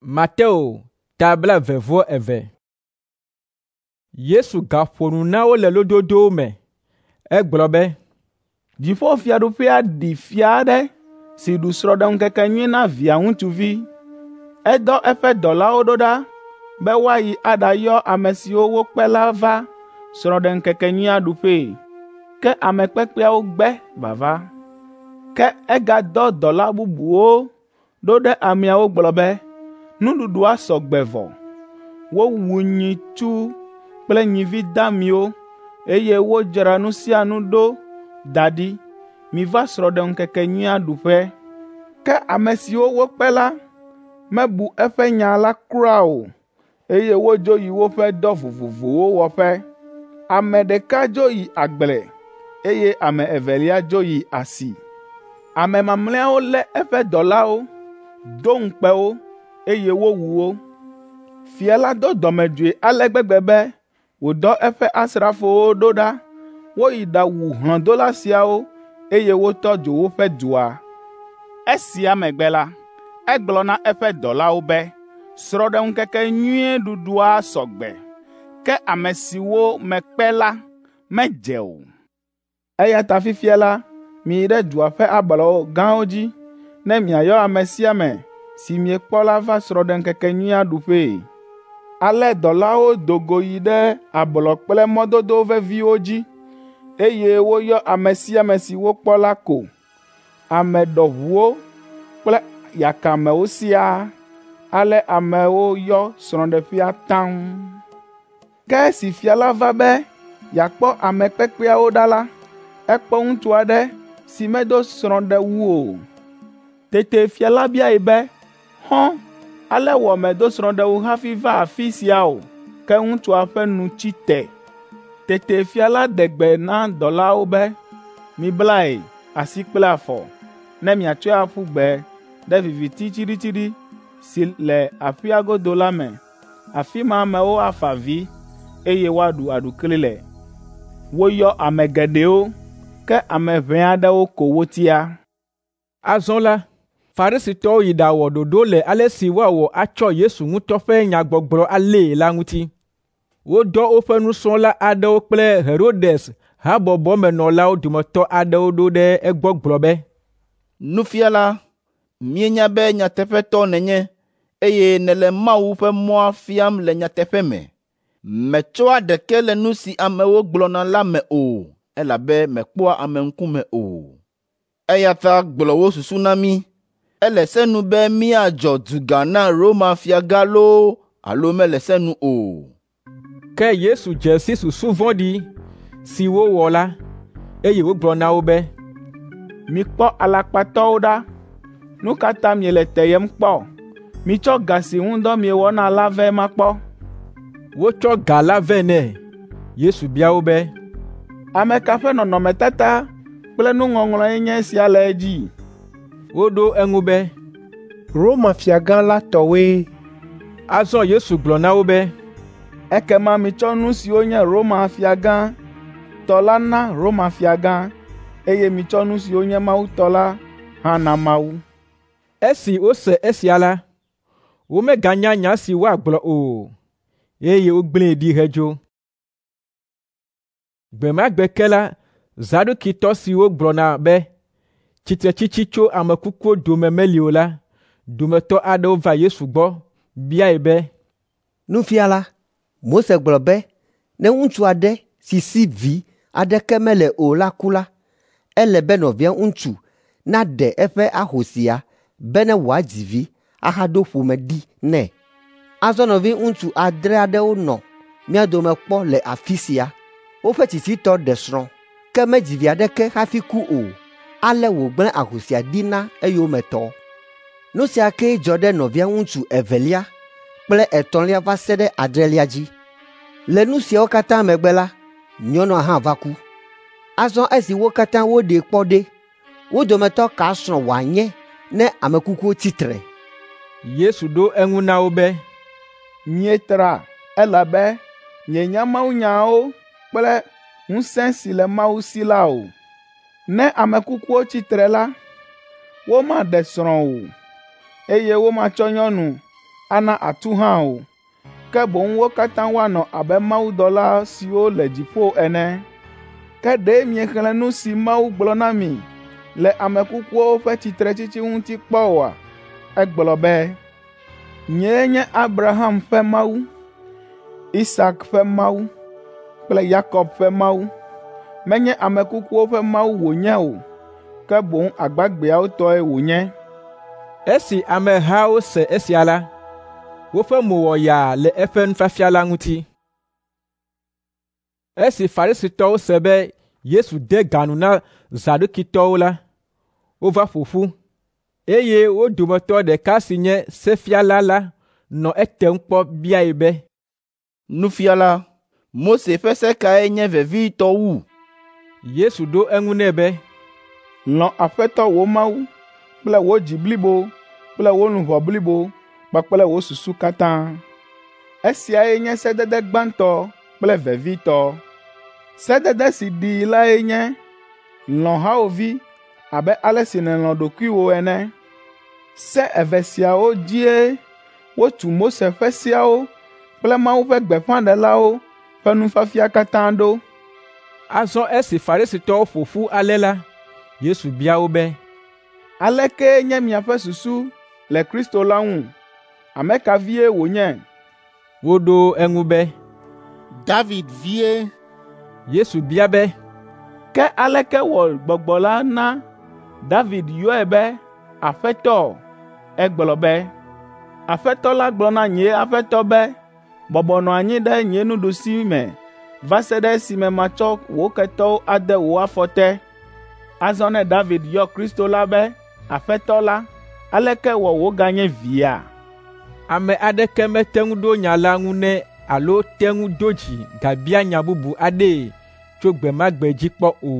Mateo ta 22. Yesu gaƒo nu na wo le lododowo me. Egblɔ be, Dziƒofiaɖuƒea ɖi fia aɖe si ɖu srɔ̃ɖeŋkekenyui na via ŋutsuvi. Edɔ eƒe dɔlawo ɖo ɖa be woayi aɖayɔ ame siwo wokpe la va srɔ̃ɖeŋkekenyuia ɖuƒee, ke ame kpekpeawo gbe vava. Ke egadɔ dɔla bubuwo ɖo ɖe ameawo gblɔ be, ‘Nuɖuɖua sɔ gbe vɔ. Wowu nyitsu kple nyivi damiwo, eye wodzra nu sia nu ɖo da ɖi. Miva srɔ̃ɖeŋkekenyuia ɖuƒe.’ Ke ame siwo wokpe la mebu eƒe nya la kura o, eye wodzo yi woƒe dɔ vovovowo wɔƒe. Ame ɖeka dzo yi agble, eye ame evelia dzo yi asi. Ame mamlɛawo lé eƒe dɔlawo, do ŋukpe wo, eye wowu wo. Fia la do dɔmedzoe ale gbegbe be wòdɔ eƒe asrafowo ɖo ɖa woyi ɖawu hlɔ̃dola siawo, eye wotɔ dzo woƒe dua. Esia megbe la, egblɔ na eƒe dɔlawo be, ‘Srɔ̃ɖeŋkekenyui ɖuɖua sɔ gbe, ke ame siwo mekpe la medze o. Eya ta fifia la, miyi ɖe dua ƒe ablɔ gãwo dzi ne miayɔ ame sia ame si miekpɔ la va srɔ̃ɖeŋkekenyuia ɖuƒee.’ Ale dɔlawo do go yi ɖe ablɔ kple mɔdodo veviwo dzi, eye woyɔ ame sia ame si wokpɔ la ko, ame ɖɔʋuwo kple yakamewo siaa. Ale amewo yɔ srɔ̃ɖeƒea taŋ. Ke esi fia la va be yeakpɔ ame kpekpeawo ɖa la, ekpɔ ŋutsu aɖe si medo srɔ̃ɖewu o. Tete fia la biae be, ‘Xɔ̃, ale wɔ mèdo srɔ̃ɖewu hafi va afi sia o?’ Ke ŋutsua ƒe nu tsi te. Tete fia la ɖe gbe na dɔlawo be, ‘Miblae asi kple afɔ, ne miatsɔe aƒu gbe ɖe viviti tsiɖitsiɖi si le aƒea godo la me. Afi ma amewo afa avi, eye woaɖu aɖukli le.’ Woyɔ ame geɖewo, ke ame ʋɛ aɖewo ko wotia.” Azɔ la, Farisitɔwo yi ɖawɔ ɖoɖo le ale si woawɔ atsɔ Yesu ŋutɔ ƒe nyagbɔgblɔ alée la ŋuti. Wodɔ woƒe nusrɔ̃la aɖewo kple Herodes habɔbɔmenɔlawo dometɔ aɖewo ɖo ɖe egbɔ gblɔ be, “Nufiala, míenya be nyateƒetɔ nènye, eye nèle Mawu ƒe mɔa fiam le nyateƒe me. Mètsɔa ɖeke le nu si amewo gblɔna la me o, elabe mèkpɔa ame ŋkume o. Eya ta gblɔ wò susu na mí. Ele se nu be míadzɔ duga na Roma fiagã loo alo mele se nu o?” Ke Yesu dze si susu vɔ̃ɖi si wowɔ la, eye wògblɔ na wo be, “Mikpɔ alakpatɔwo ɖa! Nu ka ta miele teyem kpɔ? Mitsɔ ga si ŋu dɔ miewɔna la vɛ makpɔ.” Wotsɔ ga la vɛ nɛ. Yesu bia wo be, “Ame ka ƒe nɔnɔmetata kple nuŋɔŋlɔe nye esia le edzi?” Woɖo eŋu be, “Roma fiagã la tɔwoe.” Azɔ Yesu gblɔ na wo be, “Ekema mitsɔ nu siwo nye Roma fiagã tɔ la na Roma fiagã, eye mitsɔ nu siwo nye Mawu tɔ la hã na Mawu.” Esi wose esia la, womeganya nya si woagblɔ o, eye wogblẽe ɖi hedzo. Gbe ma gbe ke la, Zadukitɔ siwo gblɔna be tsitretsitsi tso ame kukuwo dome meli o la dometɔ aɖewo va Yesu gbɔ biae be, “Nufiala, Mose gblɔ be ne ŋutsu aɖe si si vi aɖeke mele o la ku la, ele be nɔvia ŋutsu naɖe eƒe ahosia bene wòadzi vi ahaɖo ƒome ɖi nɛ. Azɔ nɔviŋutsu adre aɖewo nɔ mía dome kpɔ le afi sia. Woƒe tsitsitɔ ɖe srɔ̃, ke medzi vi aɖeke hafi ku o, ale wògblẽ ahosia ɖi na eyometɔ. Nu sia kee dzɔ ɖe nɔvia ŋutsu evelia kple etɔ̃lia va se ɖe adrelia dzi. Le nu siawo katã megbe la, nyɔnua hã va ku. Azɔ esi wo katã woɖee kpɔ ɖe, wo dometɔ ka srɔ̃ wòanye ne ame kukuwo tsi tre?” Yesu ɖo eŋu na wo be, “Mietra elabe mienya mawunyawo kple ŋusẽ si le Mawu si la o. Ne ame kukuwo tsi tre la, womaɖe srɔ̃ o, eye womatsɔ nyɔnu ana atu hã o, ke boŋ wo katã woanɔ abe mawudɔla siwo le dziƒo ene. Ke ɖe miexlẽ nu si Mawu gblɔ na mi le ame kukuwo ƒe tsitretsitsi ŋuti kpɔ oa? Egblɔ be, ‘Nyee nye Abraham ƒe Mawu, Isak ƒe Mawu kple Yakob ƒe Mawu.’ Menye ame kukuwo ƒe Mawu wònye o, ke boŋ agbagbeawo tɔe wònye.” Esi amehawo se esia la, woƒe mo wɔ yaa le eƒe nufiafia la ŋuti. Esi Farisitɔwo se be Yesu de ga nu na Zadukitɔwo la, wova ƒo ƒu, eye wo dometɔ ɖeka si nye sefiala la nɔ etem kpɔ biae be, “Nufiala, Mose ƒe se kae nye vevitɔ wu?” Yesu ɖo eŋu nɛ be, “Lɔ̃ Aƒetɔ wò Mawu kple wò dzi blibo kple wò luʋɔ blibo kpakple wò susu katã. Esiae nye sedede gbãtɔ kple vevitɔ. Sedede si ɖii lae nye, lɔ̃ hawòvi abe ale si nèlɔ̃ ɖokuiwò ene. Se eve siawo dzie wotu Mose ƒe seawo kple Mawu ƒe gbeƒãɖelawo ƒe nufiafia katã ɖo.” Azɔ esi Farisitɔwo ƒo ƒu ale la, Yesu bia wo be, “Aleke nye miaƒe susu le Kristo la ŋu? Ame ka vie wònye?” Woɖo eŋu be, “David vie.” Yesu bia be, “Ke aleke wɔ Gbɔgbɔ la na David yɔe be Aƒetɔ? Egblɔ be, ‘Aƒetɔ la gblɔ na nye Aƒetɔ be, bɔbɔ nɔ anyi ɖe nye nuɖusime va se ɖe esime matsɔ wò ketɔwo ade wò afɔ te.’ Azɔ ne David yɔ Kristo la be Aƒetɔ la, aleke wɔ wòganye via?” Ame aɖeke mete ŋu ɖo nya la ŋu nɛ alo te ŋu do dzi gabia nya bubu aɖee tso gbe ma gbe dzi kpɔ o.